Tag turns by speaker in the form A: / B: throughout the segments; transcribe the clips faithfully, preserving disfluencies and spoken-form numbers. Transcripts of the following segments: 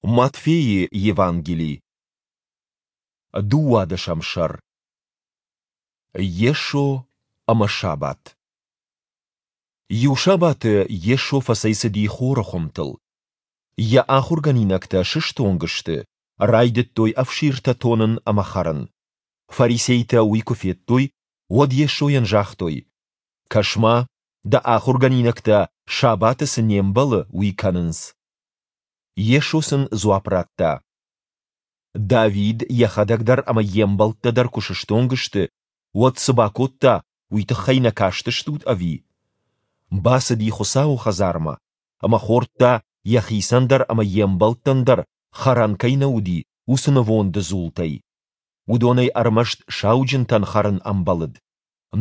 A: Матфейы Евангели, дыууадӕсӕм сӕр. Йесо ӕмӕ сабат. Иу сабаты Йесо фӕцӕйцыди хоры хуымтыл. Йӕ ахуыргӕнинӕгтӕ сыстонг сты, райдыдтой ӕфсиртӕ тонын ӕмӕ хӕрын. Фарисейтӕ уый куы федтой, уӕд Йесойӕн загътой: Кӕс-ма, дӕ ахуыргӕнинӕгтӕ, сабаты цы не мбӕлы, уый кӕнынц. Йесо сын дзуапп радта: Давид йӕхӕдӕг дӕр ӕмӕ йе мбӕлттӕ дӕр куы сыстонг сты, уӕд цы бакодта, уый тыххӕй нӕ кастыстут, ӕви? Бацыди Хуыцауы хӕдзармӕ ӕмӕ хордта, йӕхицӕн дӕр ӕмӕ йе мбӕлттӕн дӕр хӕрӕн кӕй нӕ уыди, уыцы нывонды дзултӕй. Уыдонӕй ӕрмӕст сауджынтӕн хӕрын ӕмбӕлыд.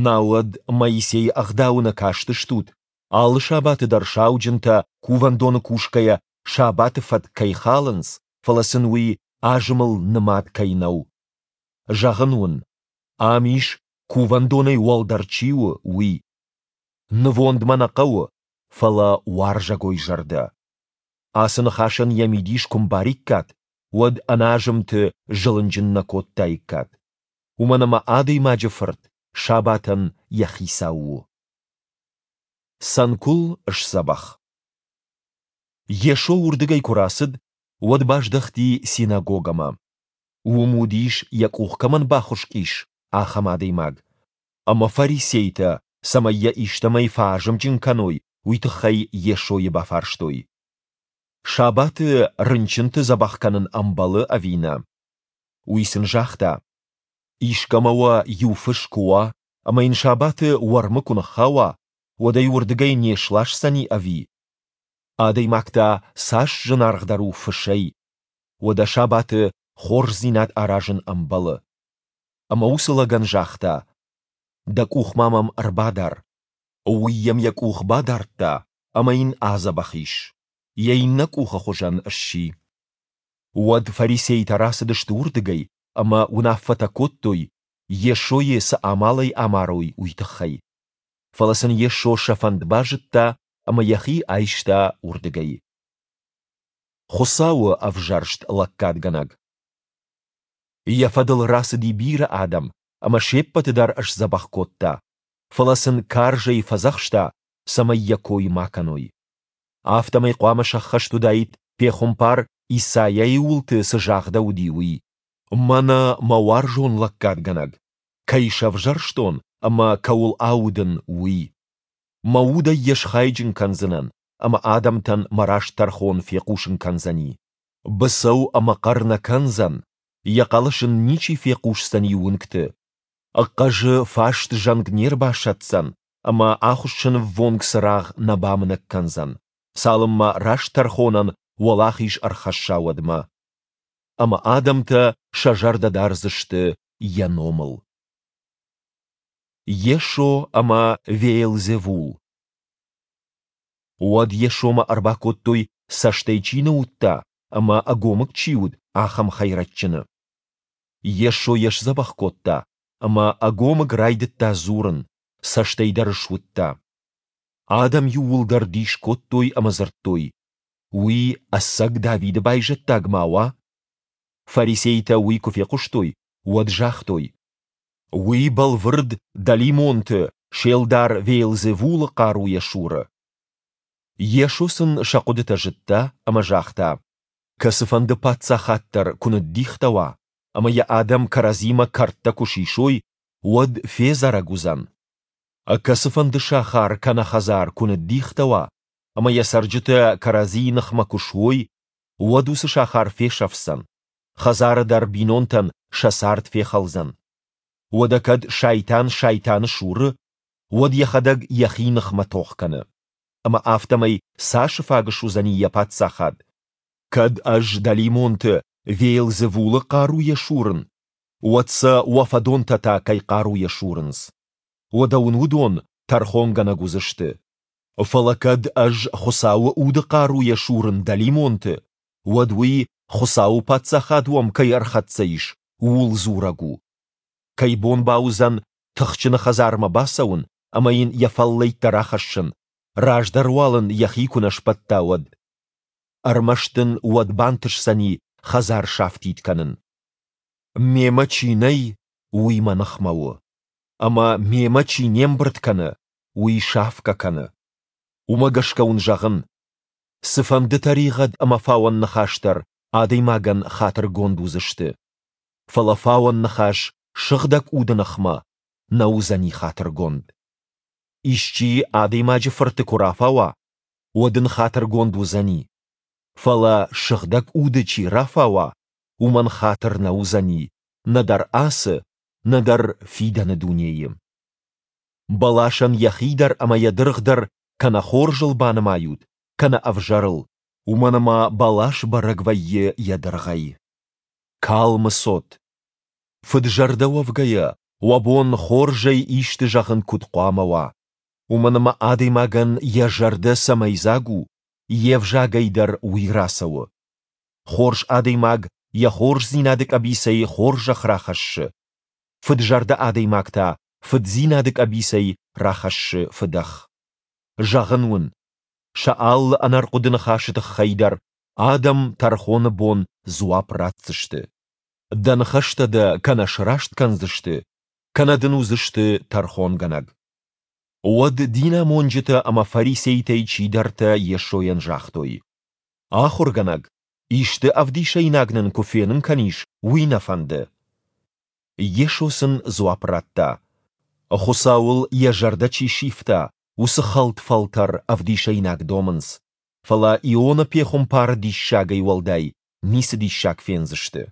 A: Науӕд Моисейы Ӕгъдауы нӕ кастыстут, алы сабаты дӕр сауджынтӕ, кувӕндоны кусгӕйӕ, сабаты фӕтк кӕй халынц, фӕлӕ сын уый азымыл нымад кӕй нӕу? Зӕгъын уын, ам ис, кувӕндонӕй уӕлдӕр чи у, уый. Нывонд мӕ нӕ хъӕуы, фӕлӕ уарзӕгой зӕрдӕ. Ацы ныхасӕн йӕ мидис куы мбариккат, уӕд ӕнӕазымты зылынджын нӕ кодтаиккат. Уымӕн ӕмӕ Адӕймаджы Фырт сабатӕн йӕ хицау у. Цӕнкуыл сдзӕбӕх. Йесо уырдыгӕй куы рацыд, уӕд баздӕхти синагогӕмӕ. Уым уыдис, йӕ къух кӕмӕн бахуыскъ ис, ахӕм адӕймаг. Ӕмӕ фарисейтӕ, цӕмӕй йӕ истӕмӕй фӕазымджын кӕной, уый тыххӕй Йесойы бафарстой: Сабаты рынчынты дзӕбӕх кӕнын ӕмбӕлы ӕви нӕ? Уый сын загъта: Искӕмӕ уӕ иу фыс куы уа, ӕмӕ йын сабаты уӕрмы куы ныххауа, уӕд ӕй уырдыгӕй не сласдзӕни ӕви? Адӕймаг та цас зынаргъдӕр у фысӕй! Уӕдӕ сабаты хорздзинад аразын ӕмбӕлы. Ӕмӕ уыцы лӕгӕн загъта: Дӕ къух-ма мӕм ӕрбадар. Уый йӕм йӕ къух бадардта, ӕмӕ йын адзӕбӕх ис. Йӕ иннӕ къухы хуызӕн сси. Уӕд фарисейтӕ рацыдысты уырдыгӕй ӕмӕ уынаффӕтӕ кодтой, Йесойы цы амалӕй амарой, уый тыххӕй. Фӕлӕ сын Йесо сӕ фӕнд базыдта ӕмӕ йӕхи айста уырдыгӕй. Хуыцауы ӕвзӕрст лӕггадгӕнӕг. Йӕ фӕдыл рацыди бирӕ адӕм ӕмӕ се ппӕты дӕр сдзӕбӕх кодта, фӕлӕ сын карзӕй фӕдзӕхста, цӕмӕй йӕ кой ма кӕной. Афтӕмӕй хъуамӕ сӕххӕст уыдаид, пехуымпар Исайайы уылты цы загъдӕуыди, уый: Мӕнӕ мӕ уарзон лӕггадгӕнӕг, кӕй сӕвзӕрстон ӕмӕ кӕуыл аудын, уый. Мӕ удӕй йӕ схайджын кӕндзынӕн, ӕмӕ адӕмтӕн мӕ раст тӕрхон фехъусын кӕндзӕни. Быцӕу ӕмӕ хъӕр нӕ кӕндзӕн, йӕ хъӕлӕс ын ничи фехъусдзӕни уынгты. Хъӕзы фаст зӕнг не рбасӕтдзӕн ӕмӕ ахуыссынӕввонг цырагъ нӕ бамынӕг кӕндзӕн, цалынмӕ раст тӕрхонӕн уӕлахиз ӕрхӕсса, уӕдмӕ. Ӕмӕ адӕмтӕ сӕ зӕрдӕ дардзысты йӕ номыл. Йесо ӕмӕ Веелзевул. Уӕд Йесомӕ ӕрбакодтой, цӕстӕй чи нӕ уыдта ӕмӕ ӕгомыг чи уыд, ахӕм хӕйрӕджджыны. Йесо йӕ сдзӕбӕх кодта, ӕмӕ ӕгомыг райдыдта дзурын, цӕстӕй дӕр суыдта. Адӕм иууылдӕр дис кодтой ӕмӕ дзырдтой: Уый ӕцӕг Давиды байзӕддаг ма уа? Фарисейтӕ уый куы фехъуыстой, уӕд загътой: Уый бӕлвырд дӕлимонты се лдар Веелзевулы хъаруйӕ суры. Йесо сын сӕ хъуыдытӕ зыдта ӕмӕ загъта: Кӕцыфӕнды паддзахад дӕр куы ныддихтӕ уа ӕмӕ йӕ адӕм кӕрӕдзимӕ кӕрдтӕ куы сисой, уӕд федзӕрӕг уыдзӕн. Кӕцыфӕнды сахар кӕнӕ хӕдзар куы ныддихтӕ уа ӕмӕ йӕ цӕрджытӕ кӕрӕдзийы ныхмӕ куы суой, уӕд уыцы сахар фесӕфдзӕн, хӕдзары дӕр бинонтӕн сӕ цард фехӕлдзӕн. Уӕдӕ кӕд Сайтан Сайтаны суры, уӕд йӕхӕдӕг йӕхи ныхмӕ тох кӕны. Ӕмӕ афтӕмӕй цасы фаг суыдзӕни йӕ паддзахад? Кӕд ӕз дӕлимонты Веелзевулы хъаруйӕ сурын, уӕд сӕ уӕ фӕдонтӕ та кӕй хъаруйӕ сурынц? Уӕдӕ уын уыдон тӕрхонгӕнӕг уыдзысты. Фӕлӕ кӕд ӕз Хуыцауы Уды хъаруйӕ сурын дӕлимонты, уӕд уый, Хуыцауы Паддзахад уӕм кӕй ӕрхӕццӕ ис, ууыл дзурӕг у. Кӕй бон бауыдзӕн тыхджыны хӕдзармӕ бацӕуын ӕмӕ йын йӕ фӕллӕйттӕ рахӕссын, раздӕр уал ын йӕхи куы нӕ сбӕтта, уӕд? Ӕрмӕст ын уӕд бантысдзӕни хӕдзар сафтид кӕнын. Мемӕ чи нӕй, уый мӕ ныхмӕ у. Ӕмӕ мемӕ чи не мбырд кӕны, уый сафгӕ кӕны. Уымӕ гӕсгӕ уын зӕгъын, цыфӕнды тӕригъӕд ӕмӕ фауӕн ныхас дӕр адӕймагӕн хатыргонд уыдзысты. Фӕлӕ фауӕн ныхас Сыгъдӕг Уды ныхмӕ нӕ уыдзӕни хатыргонд. Исчи Адӕймаджы Фырты куы рафауа, уӕд ын хатыргонд уыдзӕни. Фӕлӕ Сыгъдӕг Уды чи рафауа, уымӕн хатыр нӕ уыдзӕни нӕдӕр ацы, нӕдӕр фидӕны дунейы. Бӕласӕн йӕхи дӕр ӕмӕ йӕ дыргъ дӕр кӕнӕ хорзыл банымайут, кӕнӕ ӕвзӕрыл, уымӕн ӕмӕ бӕлас бӕрӕг вӕййы йӕ дыргъӕй. Калмы цот! Фыд-зӕрдӕ уӕвгӕйӕ, уӕ бон хорзӕй исты зӕгъын куыд хъуамӕ уа? Уымӕн ӕмӕ адӕймагӕн йӕ зӕрдӕ цӕмӕй дзаг у, йе взагӕй дӕр уый рацӕуы. Хорз адӕймаг йӕ хорздзинады къӕбицӕй хорзӕх рахӕссы, фыд-зӕрдӕ адӕймаг та фыддзинады къӕбицӕй рахӕссы фыдӕх. Зӕгъын уын, сӕ алы ӕнӕрхъуыды ныхасы тыххӕй дӕр адӕм тӕрхоны бон дзуапп ратдзысты. Дӕ ныхӕстӕ дӕ кӕнӕ сраст кӕндзысты, кӕнӕ дын уыдзысты тӕрхонгӕнӕг. Уӕд динамонджытӕ ӕмӕ фарисейтӕй чидӕртӕ Йесойӕн загътой: Ахуыргӕнӕг, исты ӕвдисӕйнаг нын куы фенын кӕнис, уый нӕ фӕнды. Йесо сын дзуапп радта: Хуыцауыл йӕ зӕрдӕ чи сивта, уыцы хӕлд фӕлтӕр ӕвдисӕйнаг домынц, фӕлӕ Иона пехуымпары диссагӕй уӕлдай ницы диссаг фендзысты.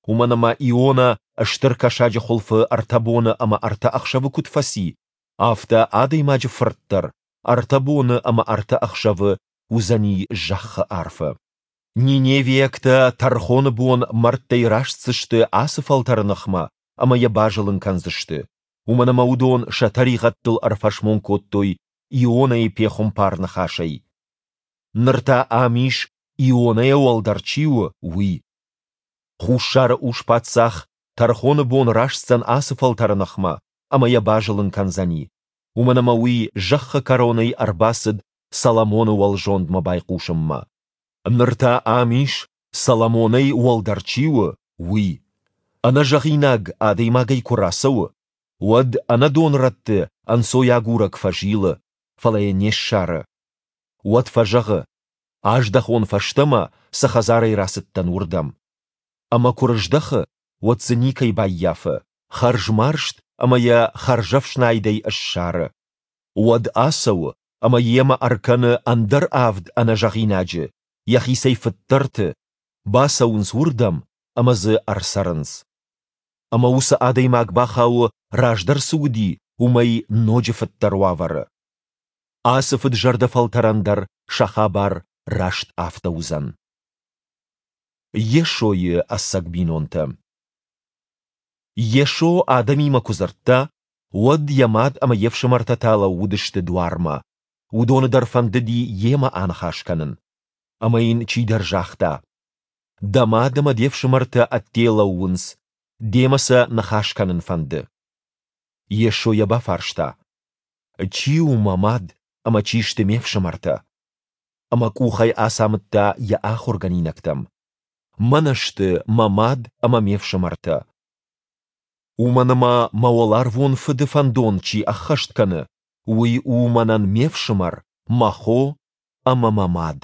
A: Уымӕн ӕмӕ Иона стыр кӕсаджы хуылфы ӕртӕ боны ӕмӕ ӕртӕ ӕхсӕвы куыд фӕци, афтӕ Адӕймаджы Фырт дӕр ӕртӕ боны ӕмӕ ӕртӕ ӕхсӕвы уыдзӕни зӕххы арфы. Ниневиӕгтӕ тӕрхоны бон мӕрдтӕй растдзысты ацы фӕлтӕры ныхмӕ ӕмӕ йӕ базылын кӕндзысты, уымӕн ӕмӕ уыдон сӕ тӕригъӕдтыл ӕрфӕсмон кодтой Ионӕйы пехуымпар ныхасӕй. Ныр та ам ис, Ионӕйӕ уӕлдӕр чи у, уый. Хуссары ус-паддзах тӕрхоны бон растдзӕн ацы фӕлтӕры ныхмӕ ӕмӕ йӕ базылын кӕндзӕни, уымӕн ӕмӕ уый зӕххы кӕронӕй ӕрбацыд Соломоны уӕлзондмӕ байхъусынмӕ. Ныр та ам ис, Соломонӕй уӕлдӕр чи у, уый. Ӕнӕзӕгъинаг адӕймагӕй куы рацӕуы, уӕд ӕнӕдон рӕтты ӕнцойагурӕг фӕзилы, фӕлӕ йӕ не ссары. Уӕд фӕзӕгъы: Аздӕхон фӕстӕмӕ, цы хӕдзарӕй рацыдтӕн, уырдӕм. Ӕмӕ куы рыздӕхы, уӕд дзы никӕй баййафы, хӕрзмарзт ӕмӕ йӕ хӕрзӕфснайдӕй ссары. Уӕд ацӕуы ӕмӕ йемӕ ӕркӕны ӕндӕр авд ӕнӕзӕгъинаджы, йӕхицӕй фыддӕрты, бацӕуынц уырдӕм ӕмӕ дзы ӕрцӕрынц. Ӕмӕ уыцы адӕймаг бахауы, раздӕр цы уыди, уымӕй ноджы фыддӕр уавӕры. Ацы фыд-зӕрдӕ фӕлтӕрӕн дӕр сӕ хабар раст афтӕ уыдзӕн. Йесойы ӕцӕг бинонтӕ. Йесо адӕмимӕ куы дзырдта, уӕд йӕ мад ӕмӕ йе фсымӕртӕ та лӕууыдысты дуармӕ. Уыдоны дӕр фӕндыди йемӕ аныхас кӕнын. Ӕмӕ йын чидӕр загъта: Дӕ мад ӕмӕ де фсымӕртӕ ӕдде лӕууынц, демӕ сӕ ныхас кӕнын фӕнды. Йесо йӕ бафарста: Чи у мӕ мад ӕмӕ чи сты ме фсымӕртӕ? Ӕмӕ къухӕй ацамыдта йӕ ахуыргӕнинӕгтӕм: Мӕнӕ сты мӕ мад ӕмӕ ме фсымӕртӕ. Уымӕн ӕмӕ мӕ уӕларвон Фыды фӕндон чи ӕххӕст кӕны, уый у мӕнӕн ме фсымӕр, мӕ хо ӕмӕ мӕ мад.